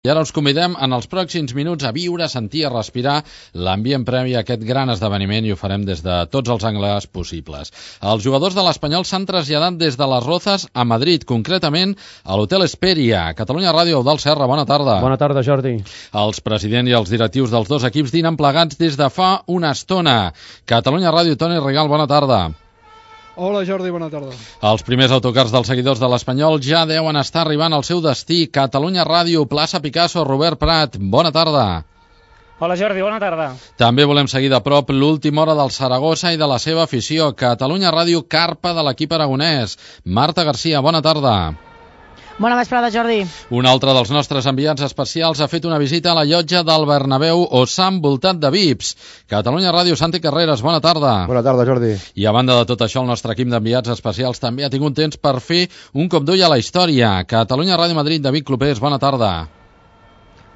I ara us convidem en els pròxims minuts a viure, sentir, a respirar l'ambient previ a aquest gran esdeveniment i ho farem des de tots els angles possibles. Els jugadors de l'Espanyol s'han traslladat des de les Rozas a Madrid, concretament a l'Hotel Hesperia. Catalunya Ràdio, Eudald Serra, bona tarda. Bona tarda, Jordi. Els presidents i els directius dels dos equips dinen plegats des de fa una estona. Catalunya Ràdio, Toni Rigal, bona tarda. Hola Jordi, bona tarda. Els primers autocars dels seguidors de l'Espanyol ja deuen estar arribant al seu destí. Catalunya Ràdio, plaça Picasso, Robert Prat, bona tarda. Hola Jordi, bona tarda. També volem seguir de prop l'última hora del Saragossa i de la seva afició. Catalunya Ràdio, carpa de l'equip aragonès. Marta Garcia, bona tarda. Bona vesprada, Jordi. Un altre dels nostres enviats especials ha fet una visita a la llotja del Bernabéu o s'ha envoltat de VIPs. Catalunya Ràdio, Santi Carreras, bona tarda. Bona tarda, Jordi. I a banda de tot això, el nostre equip d'enviats especials també ha tingut temps per fer un cop d'ull a la història. Catalunya Ràdio Madrid, David Clopés, bona tarda.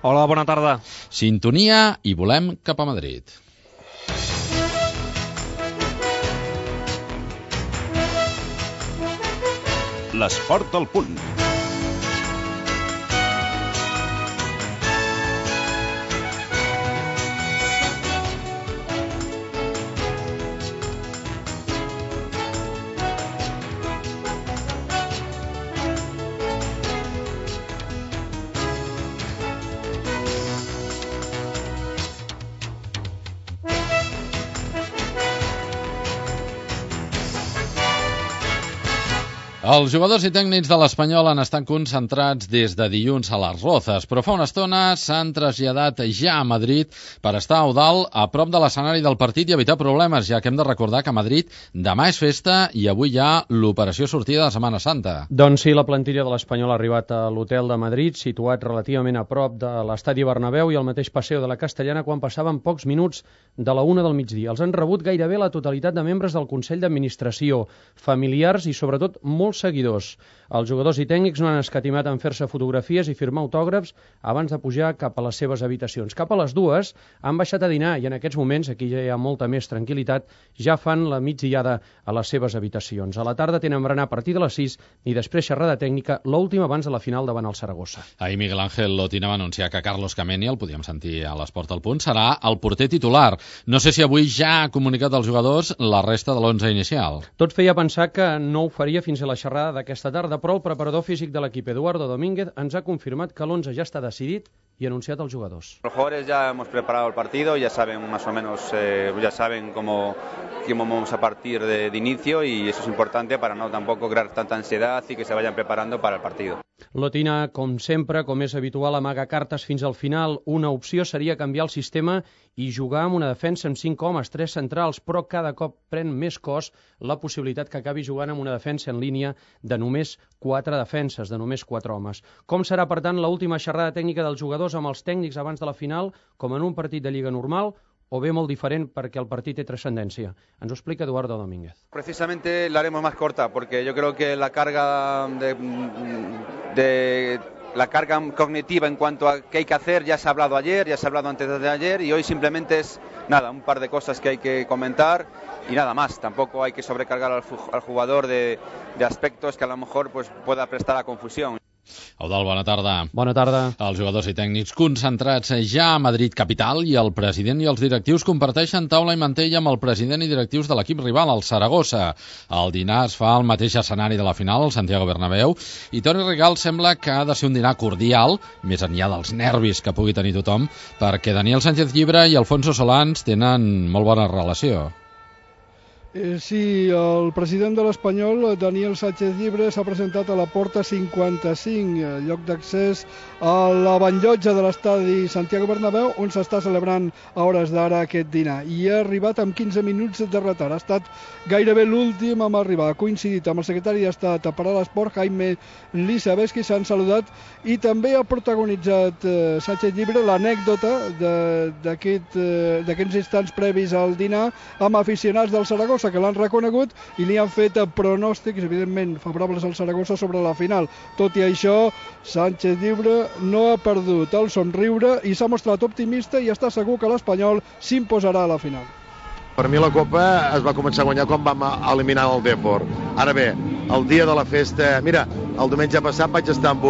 Hola, bona tarda. Sintonia i volem cap a Madrid. L'esport al punt. Els jugadors i tècnics de l'Espanyol han estat concentrats des de dilluns a les Rozas, però fa una estona s'han traslladat ja a Madrid per estar a Eudald a prop de l'escenari del partit i evitar problemes, ja que hem de recordar que a Madrid demà és festa i avui hi ha l'operació sortida de Setmana Santa. Doncs sí, la plantilla de l'Espanyol ha arribat a l'hotel de Madrid, situat relativament a prop de l'estadi Bernabéu i al mateix Passeig de la Castellana quan passaven pocs minuts de la 1 del migdia. Els han rebut gairebé la totalitat de membres del Consell d'Administració, familiars i sobretot molts seguidors. Els jugadors i tècnics no han escatimat en fer-se fotografies i firmar autògrafs abans de pujar cap a les seves habitacions. Cap a les 2 han baixat a dinar i en aquests moments, aquí ja hi ha molta més tranquil·litat, ja fan la migdiada a les seves habitacions. A la tarda tenen berenar a partir de les 6 i després xerrada tècnica, l'última abans de la final davant el Saragossa. Ahir Miguel Ángel Lotina va anunciar que Carlos Kameni, el podíem sentir a l'Esport al Punt, serà el porter titular. No sé si avui ja ha comunicat als jugadors la resta de l'11 inicial. Tot feia pensar que no ho faria fins a la xerrada d'aquesta tarda, però el preparador físic de l'equip, Eduardo Domínguez, ens ha confirmat que l'11 ja està decidit y anunciado a los jugadores. Los jugadores ya hemos preparado el partido, ya saben más o menos, ya saben cómo vamos a partir de inicio y eso es importante para no tampoco crear tanta ansiedad y que se vayan preparando para el partido. Lotina, com sempre, com és habitual, amaga cartes fins al final. Una opció seria canviar el sistema i jugar amb una defensa amb 5 homes, 3 centrals, però cada cop pren més cos la possibilitat que acabi jugant amb una defensa en línia de només 4 defenses, de només 4 homes. Com serà, per tant, l'última xerrada tècnica dels jugadors amb els tècnics abans de la final, com en un partit de Lliga normal, o bé molt diferent perquè el partit té trascendència? Ens ho explica Eduardo Domínguez. Precisamente la haremos más corta, porque yo creo que la carga la carga cognitiva en cuanto a qué hay que hacer ya se ha hablado ayer, ya se ha hablado antes de ayer y hoy simplemente es nada, un par de cosas que hay que comentar y nada más. Tampoco hay que sobrecargar al jugador de aspectos que a lo mejor pues pueda prestar a confusión. Eudald, bona tarda. Bona tarda. Els jugadors i tècnics concentrats ja a Madrid capital i el president i els directius comparteixen taula i mantell amb el president i directius de l'equip rival, el Saragossa. El dinar es fa al mateix escenari de la final, el Santiago Bernabéu, i Toni Rigal sembla que ha de ser un dinar cordial, més enllà dels nervis que pugui tenir tothom, perquè Daniel Sánchez Llibre i Alfonso Solans tenen molt bona relació. Sí, el president de l'Espanyol, Daniel Sánchez Llibre, s'ha presentat a la porta 55, lloc d'accés a la banllotja de l'estadi Santiago Bernabéu, on s'està celebrant a hores d'ara aquest dinar. I ha arribat amb 15 minuts de retard. Ha estat gairebé l'últim a arribar. Ha coincidit amb el secretari d'Estat per a l'Esport, Jaime Lisabeski, s'han saludat i també ha protagonitzat Sánchez Llibre l'anècdota d'aquests instants previs al dinar amb aficionats del Saragossa que l'han reconegut i li han fet pronòstics, evidentment, favorables al Saragossa sobre la final. Tot i això, Sánchez Llibre no ha perdut el somriure i s'ha mostrat optimista i està segur que l'Espanyol s'imposarà a la final. Per mi la Copa es va començar a guanyar quan vam eliminar el Depor. Ara bé, el dia de la festa... Mira, el diumenge passat vaig estar amb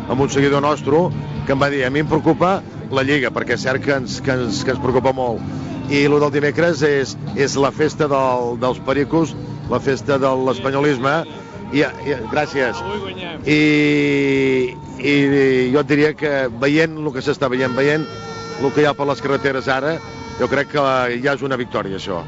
amb un seguidor nostre que em va dir, a mi em preocupa la Lliga, perquè és cert que ens preocupa molt. I el del dimecres és la festa dels pericos, la festa de l'espanyolisme, gràcies. I jo et diria que veient el que s'està veient el que hi ha per les carreteres ara, jo crec que ja és una victòria, això.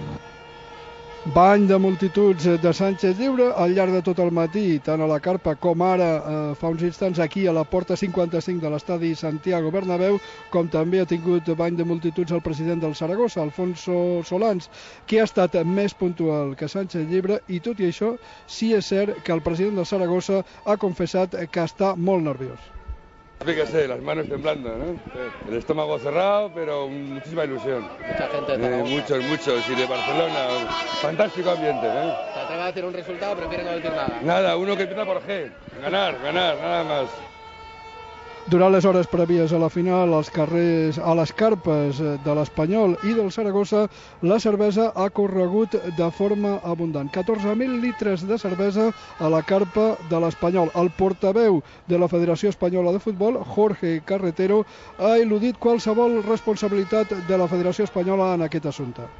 Bany de multituds de Sánchez Llibre al llarg de tot el matí, tant a la carpa com ara fa uns instants aquí a la porta 55 de l'estadi Santiago Bernabéu, com també ha tingut bany de multituds el president del Saragossa, Alfonso Solans, que ha estat més puntual que Sánchez Llibre, i tot i això sí és cert que el president del Saragossa ha confessat que està molt nerviós. Fíjese, las manos temblando, ¿no? El estómago cerrado, pero muchísima ilusión. Mucha gente de muchos, y de Barcelona, fantástico ambiente, ¿eh? ¿Se atreve a decir un resultado o prefiere no decir nada? Nada, uno que empieza por G, ganar, nada más. Durant les hores prèvies a la final, als carrers, a les carpes de l'Espanyol i del Saragossa, la cervesa ha corregut de forma abundant. 14.000 litres de cervesa a la carpa de l'Espanyol. El portaveu de la Federació Espanyola de Futbol, Jorge Carretero, ha eludit qualsevol responsabilitat de la Federació Espanyola en aquest assumpte.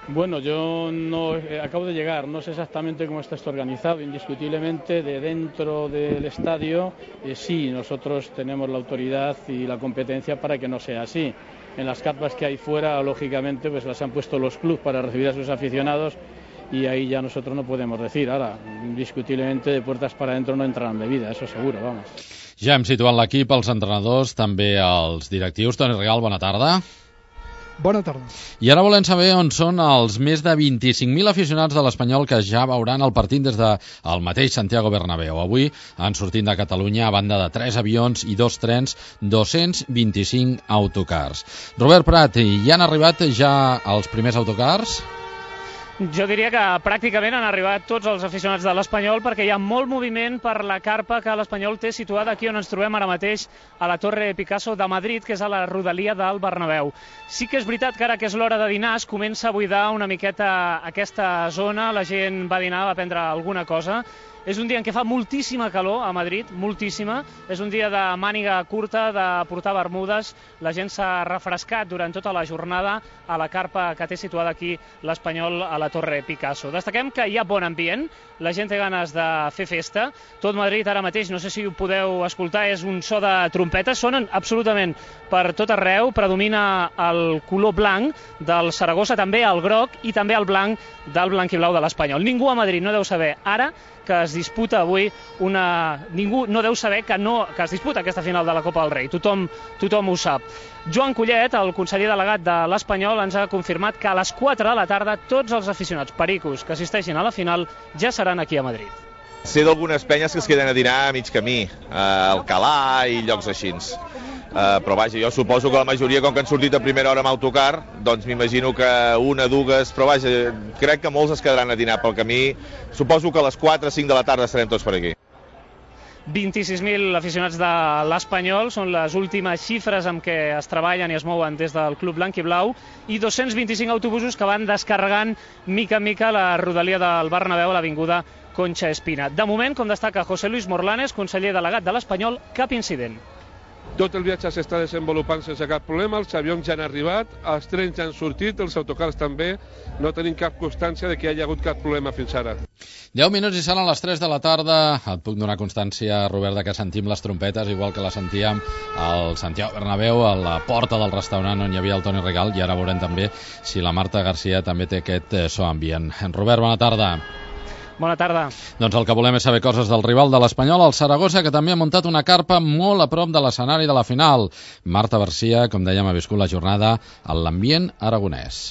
Bueno, yo no acabo de llegar, no sé exactamente cómo está esto organizado. Indiscutiblemente, de dentro del estadio, sí, nosotros tenemos la autoridad y la competencia para que no sea así. En las carpas que hay fuera, lógicamente, pues las han puesto los clubs para recibir a sus aficionados y ahí ya nosotros no podemos decir. Ahora, indiscutiblemente, de puertas para adentro no entrarán bebidas, eso seguro, vamos. Ja hem situat l'equip, els entrenadors, també els directius. Toni Regal, bona tarda. Bona tarda. I ara volem saber on són els més de 25.000 aficionats de l'Espanyol que ja veuran el partit des del mateix Santiago Bernabéu. Avui han sortit de Catalunya, a banda de 3 avions i 2 trens, 225 autocars. Robert Prat, hi han arribat ja els primers autocars? Jo diria que pràcticament han arribat tots els aficionats de l'Espanyol, perquè hi ha molt moviment per la carpa que l'Espanyol té situada aquí on ens trobem ara mateix, a la Torre Picasso de Madrid, que és a la rodalia del Bernabéu. Sí que és veritat que ara que és l'hora de dinar es comença a buidar una miqueta aquesta zona, la gent va dinar, va prendre alguna cosa. És un dia en què fa moltíssima calor a Madrid, moltíssima. És un dia de màniga curta, de portar bermudes. La gent s'ha refrescat durant tota la jornada a la carpa que té situada aquí l'Espanyol a la Torre Picasso. Destaquem que hi ha bon ambient, la gent té ganes de fer festa. Tot Madrid ara mateix, no sé si ho podeu escoltar, és un so de trompetes. Sonen absolutament per tot arreu. Predomina el color blanc del Saragossa, també el groc i també el blanc del blanquiblau de l'Espanyol. Ningú a Madrid no deu saber ara que es disputa avui Ningú no deu saber que es disputa aquesta final de la Copa del Rei. Tothom ho sap. Joan Collet, el conseller delegat de l'Espanyol, ens ha confirmat que a les 4 de la tarda tots els aficionats pericos que assisteixin a la final ja seran aquí a Madrid. Sé d'algunes penyes que es queden a dinar a mig camí, a Alcalà i llocs així. Però vaja, jo suposo que la majoria, com que han sortit a primera hora amb autocar, doncs m'imagino que una, dues, però vaja, crec que molts es quedaran a dinar pel camí. Suposo que a les 4 o 5 de la tarda estarem tots per aquí. 26.000 aficionats de l'Espanyol són les últimes xifres amb què es treballen i es mouen des del Club Blanquiblau, i 225 autobusos que van descarregant mica en mica la rodalia del Bernabéu a l'avinguda Concha Espina. De moment, com destaca José Luis Morlanes, conseller delegat de l'Espanyol, cap incident. Tot el viatge s'està desenvolupant sense cap problema, els avions ja han arribat, els trens ja han sortit, els autocars també, no tenim cap constància de que hi hagi hagut cap problema fins ara. 10 minuts i seran les 3 de la tarda. Et puc donar constància, Robert, que sentim les trompetes, igual que les sentíem al Santiago Bernabéu, a la porta del restaurant on hi havia el Toni Regal, i ara veurem també si la Marta Garcia també té aquest so ambient. Robert, bona tarda. Bona tarda. Doncs el que volem és saber coses del rival de l'Espanyol, el Saragossa, que també ha muntat una carpa molt a prop de l'escenari de la final. Marta Garcia, com dèiem, ha viscut la jornada en l'ambient aragonès.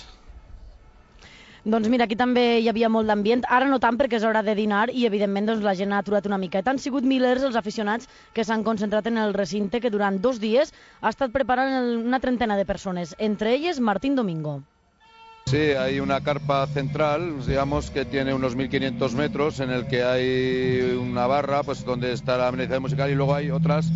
Doncs mira, aquí també hi havia molt d'ambient, ara no tant perquè és hora de dinar i evidentment doncs, la gent ha aturat una miqueta. Han sigut milers els aficionats que s'han concentrat en el recinte, que durant 2 dies ha estat preparant una trentena de persones, entre elles Martín Domingo. Sí, hay una carpa central, digamos, que tiene unos 1.500 metros, en el que hay una barra, pues donde está la amenización musical, y luego hay otras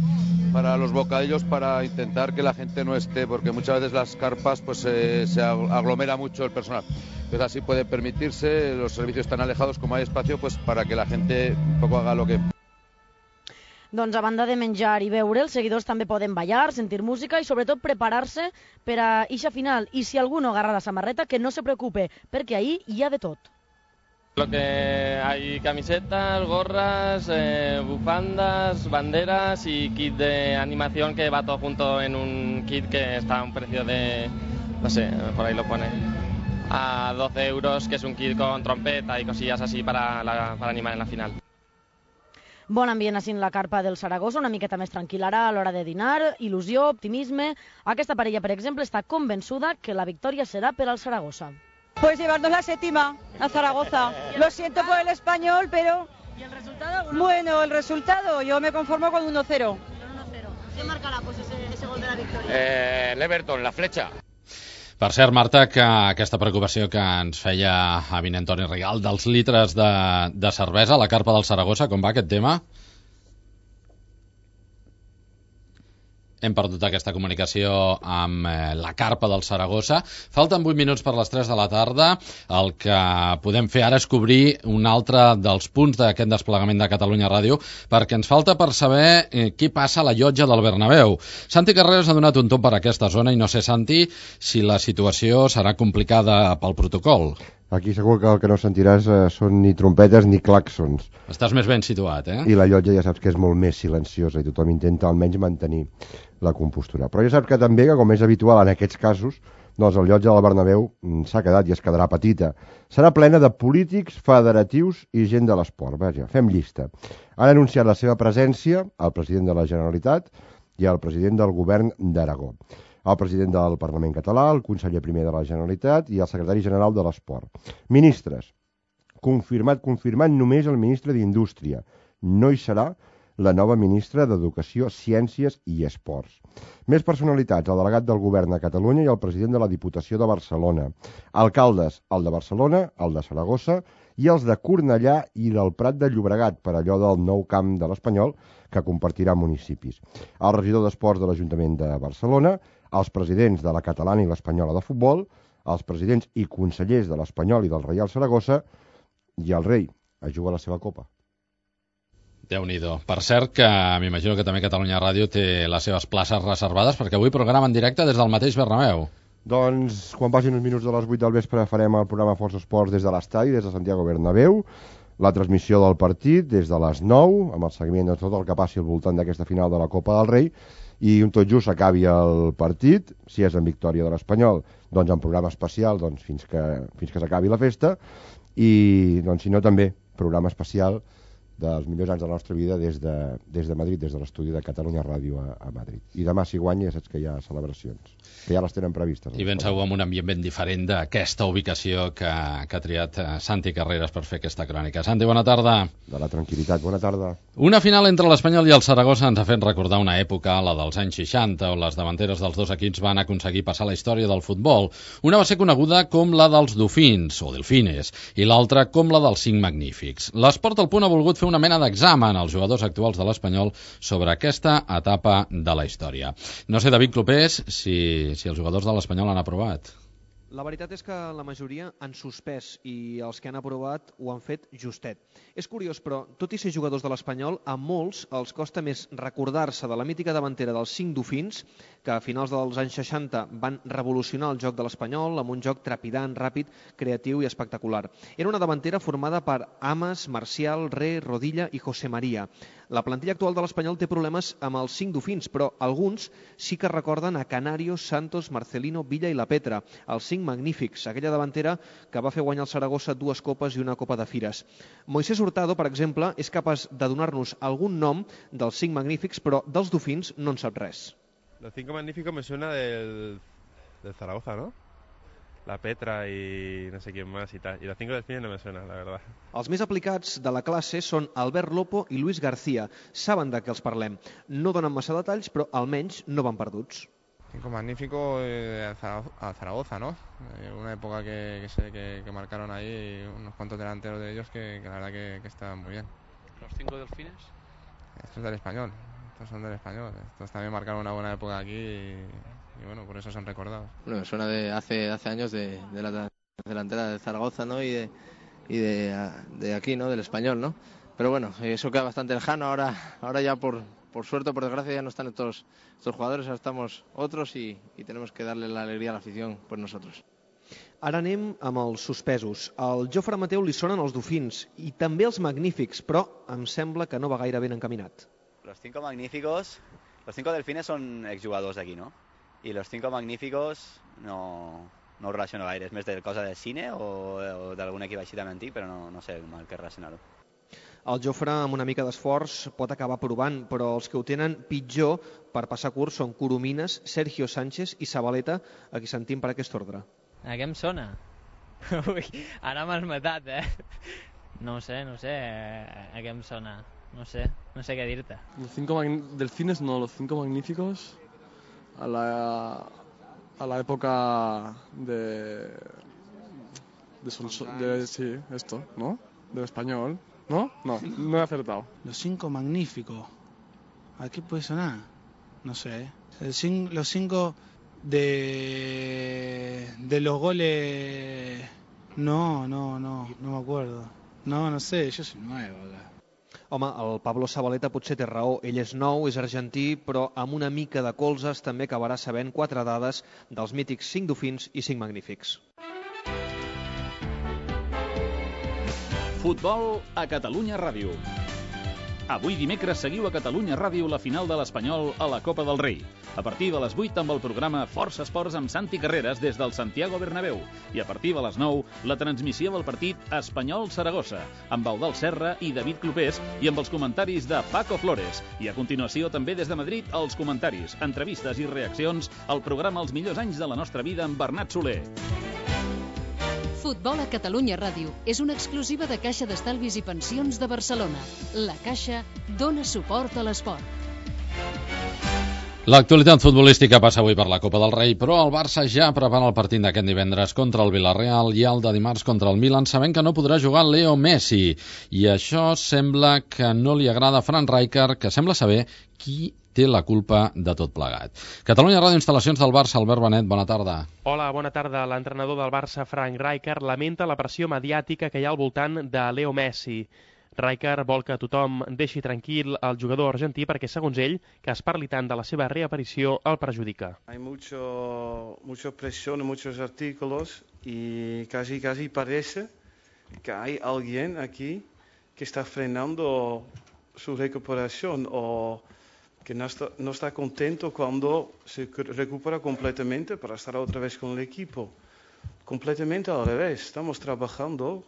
para los bocadillos, para intentar que la gente no esté, porque muchas veces las carpas pues se aglomera mucho el personal. Entonces así puede permitirse, los servicios están alejados, como hay espacio, pues para que la gente un poco haga lo que... Doncs a banda de menjar i beure, els seguidors també poden ballar, sentir música i sobretot preparar-se per a eixa final. I si algú no agarra la samarreta, que no se preocupe, perquè ahí hi ha de tot. Lo que hay camisetas, gorras, bufandas, banderas y kit de animación que va todo junto en un kit que está a un precio de, no sé, por ahí lo pone, a 12 euros, que es un kit con trompeta y cosillas así para animar en la final. Bon ambient així en la carpa del Saragossa, una miqueta més tranquil ara a l'hora de dinar, il·lusió, optimisme. Aquesta parella, per exemple, està convençuda que la victòria serà per al Saragossa. Pues llevarnos la séptima a Zaragoza. Lo siento por el Español, pero... ¿Y el resultado? Bueno, el resultado, yo me conformo con 1-0. ¿Quién marcará pues, ese gol de la victòria? El Everton, la fletxa. Per cert, Marta, que aquesta preocupació que ens feia avinent Antoni Rigal dels litres de cervesa a la carpa del Saragossa, com va aquest tema? Hem perdut aquesta comunicació amb la carpa del Saragossa. Falten 8 minuts per les 3 de la tarda. El que podem fer ara és cobrir un altre dels punts d'aquest desplegament de Catalunya Ràdio, perquè ens falta per saber què passa a la llotja del Bernabéu. Santi Carreras ha donat un tom per aquesta zona i no sé, Santi, si la situació serà complicada pel protocol. Aquí segur que el que no sentiràs són ni trompetes ni clàxons. Estàs més ben situat, eh? I la llotja ja saps que és molt més silenciosa i tothom intenta almenys mantenir la compostura. Però ja saps que també, que com és habitual en aquests casos, doncs el llotja del Bernabéu s'ha quedat i es quedarà petita. Serà plena de polítics, federatius i gent de l'esport. Vaja, fem llista. Han anunciat la seva presència el president de la Generalitat i el president del govern d'Aragó, el president del Parlament català, el conseller primer de la Generalitat i el secretari general de l'Esport. Ministres. Confirmat només el ministre d'Indústria. No hi serà la nova ministra d'Educació, Ciències i Esports. Més personalitats, el delegat del govern a Catalunya i el president de la Diputació de Barcelona. Alcaldes, el de Barcelona, el de Saragossa i els de Cornellà i del Prat de Llobregat, per allò del nou camp de l'Espanyol que compartirà municipis. El regidor d'Esports de l'Ajuntament de Barcelona, els presidents de la catalana i l'espanyola de futbol, els presidents i consellers de l'Espanyol i del Reial Saragossa i el rei a jugar a la seva copa. Déu-n'hi-do. Per cert, que m'imagino que també Catalunya Ràdio té les seves places reservades, perquè avui programa en directe des del mateix Bernabéu. Doncs, quan passin uns minuts de les 8 del vespre, farem el programa Força Esports des de l'estadi, des de Santiago Bernabéu, la transmissió del partit des de les 9, amb el seguiment de tot el que passi al voltant d'aquesta final de la Copa del Rei, i un tot just acabi el partit, si és en victòria de l'Espanyol, doncs en programa especial fins que s'acabi la festa, i doncs, si no també programa especial dels millors anys de la nostra vida des de Madrid, des de l'estudi de Catalunya Ràdio a Madrid. I demà, si guanya, ja saps que hi ha celebracions, que ja les tenen previstes. I ben segur amb un ambient ben diferent d'aquesta ubicació que ha triat Santi Carreras per fer aquesta crònica. Santi, bona tarda. De la tranquil·litat, bona tarda. Una final entre l'Espanyol i el Saragossa ens ha fet recordar una època, la dels anys 60, on les davanteres dels dos equips van aconseguir passar la història del futbol. Una va ser coneguda com la dels Dofins, o Delfines, i l'altra com la dels Cinc Magnífics. L'Esport al Punt ha volgut fer una mena d'examen als jugadors actuals de l'Espanyol sobre aquesta etapa de la història. No sé, David Clopés, si els jugadors de l'Espanyol han aprovat. La veritat és que la majoria han suspès i els que han aprovat ho han fet justet. És curiós, però, tot i ser jugadors de l'Espanyol, a molts els costa més recordar-se de la mítica davantera dels Cinc Dofins, que a finals dels anys 60 van revolucionar el joc de l'Espanyol amb un joc trepidant, ràpid, creatiu i espectacular. Era una davantera formada per Ames, Marcial, Re, Rodilla i José María. La plantilla actual de l'Espanyol té problemes amb els Cinc Dofins, però alguns sí que recorden a Canario, Santos, Marcelino, Villa i La Petra, els Cinc Magnífics, aquella davantera que va fer guanyar el Saragossa 2 copes i una copa de fires. Moisés Hurtado, per exemple, és capaç de donar-nos algun nom dels Cinc Magnífics, però dels Dofins no en sap res. Los Cinco Magníficos me suena del Zaragoza, ¿no? La Petra y no sé quién más y tal. Y los Cinco Delfines no me suena, la verdad. Els més aplicats de la classe són Albert Lopo i Luis García. Saben de què els parlem. No donen massa detalls, però almenys no van perduts. Cinco Magníficos a Zaragoza, ¿no? Una época que marcaron ahí unos cuantos delanteros de ellos que la verdad que estaban muy bien. ¿Los Cinco Delfines? Estos del Español. Estos son del Español. Estos también marcaron una buena época aquí y bueno, por eso son recordados. Bueno, me suena de hace años de la delantera de Zaragoza, ¿no? Y de aquí, ¿no? Del Español, ¿no? pero bueno, eso queda bastante lejano. Ahora ya por suerte o por desgracia ya no están estos jugadores, ahora estamos otros y tenemos que darle la alegría a la afición por nosotros. Ara anem amb els suspesos. Al Jofre Mateu li sonen els dofins i també els magnífics, però em sembla que no va gaire ben encaminat. Los 5 magníficos, los 5 delfines son exjugadors d'aquí, ¿no? Y los 5 magníficos no ho relaciono gaire, és més de cosa del cine o d'algun equip així també antic, però no sé mal què relacionar-ho. El Jofre, amb una mica d'esforç, pot acabar provant, però els que ho tenen pitjor per passar curs són Coromines, Sergio Sánchez i Zabaleta, a qui sentim per aquest ordre. A què em sona? Ui, ara m'has matat, No sé, a què em sona. No sé què dir-te. Los 5 delfines no, los 5 magníficos a la época de sí, esto, ¿no? Del español, ¿no? No he acertado. Los 5 magníficos. ¿A qué puede sonar? No sé. Los 5 de los goles. No me acuerdo. No sé, yo soy nuevo acá. Home, el Pablo Zabaleta potser té raó, ell és nou, és argentí, però amb una mica de colzes també acabarà sabent 4 dades dels mítics 5 dofins i 5 magnífics. Futbol a Catalunya Ràdio. Avui dimecres seguiu a Catalunya Ràdio la final de l'Espanyol a la Copa del Rei. A partir de les 8 amb el programa Força Esports amb Santi Carreras des del Santiago Bernabéu. I a partir de les 9 la transmissió del partit Espanyol-Saragossa amb Eudald Serra i David Clopés i amb els comentaris de Paco Flores. I a continuació també des de Madrid els comentaris, entrevistes i reaccions al programa Els millors anys de la nostra vida amb Bernat Soler. Futbol a Catalunya Ràdio és una exclusiva de Caixa d'Estalvis i Pensions de Barcelona. La Caixa dona suport a l'esport. L'actualitat futbolística passa avui per la Copa del Rei, però el Barça ja prepara el partit d'aquest divendres contra el Villarreal i el de dimarts contra el Milan, sabent que no podrà jugar Leo Messi. I això sembla que no li agrada a Frank Rijkaard, que sembla saber qui té la culpa de tot plegat. Catalunya Ràdio, instal·lacions del Barça. Albert Benet, bona tarda. Hola, bona tarda. L'entrenador del Barça, Frank Rijkaard, lamenta la pressió mediàtica que hi ha al voltant de Leo Messi. Rijkaard vol que tothom deixi tranquil el jugador argentí perquè, segons ell, que es parli tant de la seva reaparició el perjudica. Hay mucha presión en muchos artículos y casi parece que hay alguien aquí que está frenando su recuperación o que no está contento cuando se recupera completamente para estar otra vez con el equipo. Completamente al revés. Estamos trabajando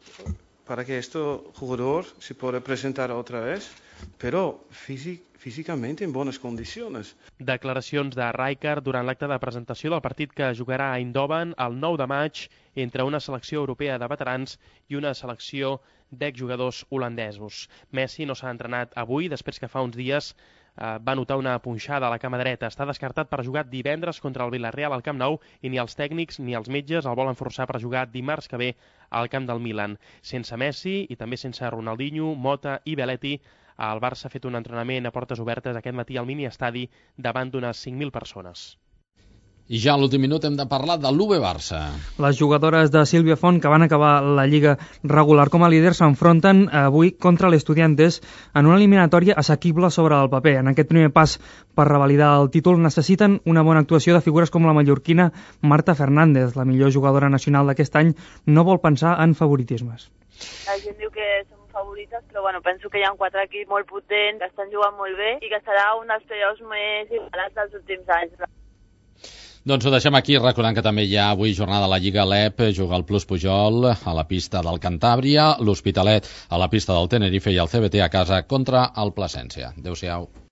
para que este jugador se pueda presentar otra vez, pero físicamente en buenas condiciones. Declaracions de Rijkaard durant l'acte de presentació del partit que jugarà a Eindhoven el 9 de maig entre una selecció europea de veterans i una selecció d'exjugadors holandesos. Messi no s'ha entrenat avui després que fa uns dies va notar una punxada a la cama dreta. Està descartat per jugar divendres contra el Villarreal al Camp Nou i ni els tècnics ni els metges el volen forçar per jugar dimarts que ve al camp del Milan. Sense Messi i també sense Ronaldinho, Mota i Belletti, el Barça ha fet un entrenament a portes obertes aquest matí al mini-estadi davant d'unes 5.000 persones. I ja a l'últim minut hem de parlar de l'UV Barça. Les jugadores de Sílvia Font, que van acabar la Lliga regular com a líders, s'enfronten avui contra l'Estudiantes en una eliminatòria assequible sobre el paper. En aquest primer pas per revalidar el títol necessiten una bona actuació de figures com la mallorquina Marta Fernández. La millor jugadora nacional d'aquest any no vol pensar en favoritismes. La gent diu que som favorites, però bueno, penso que hi ha 4 equips molt potents, que estan jugant molt bé i que serà un dels playoffs més igualats dels últims anys. Doncs ho deixem aquí, recordant que també hi ha avui jornada a la Lliga LEP, juga el Plus Pujol a la pista del Cantàbria, l'Hospitalet a la pista del Tenerife i el CBT a casa contra el Plasència. Adéu-siau.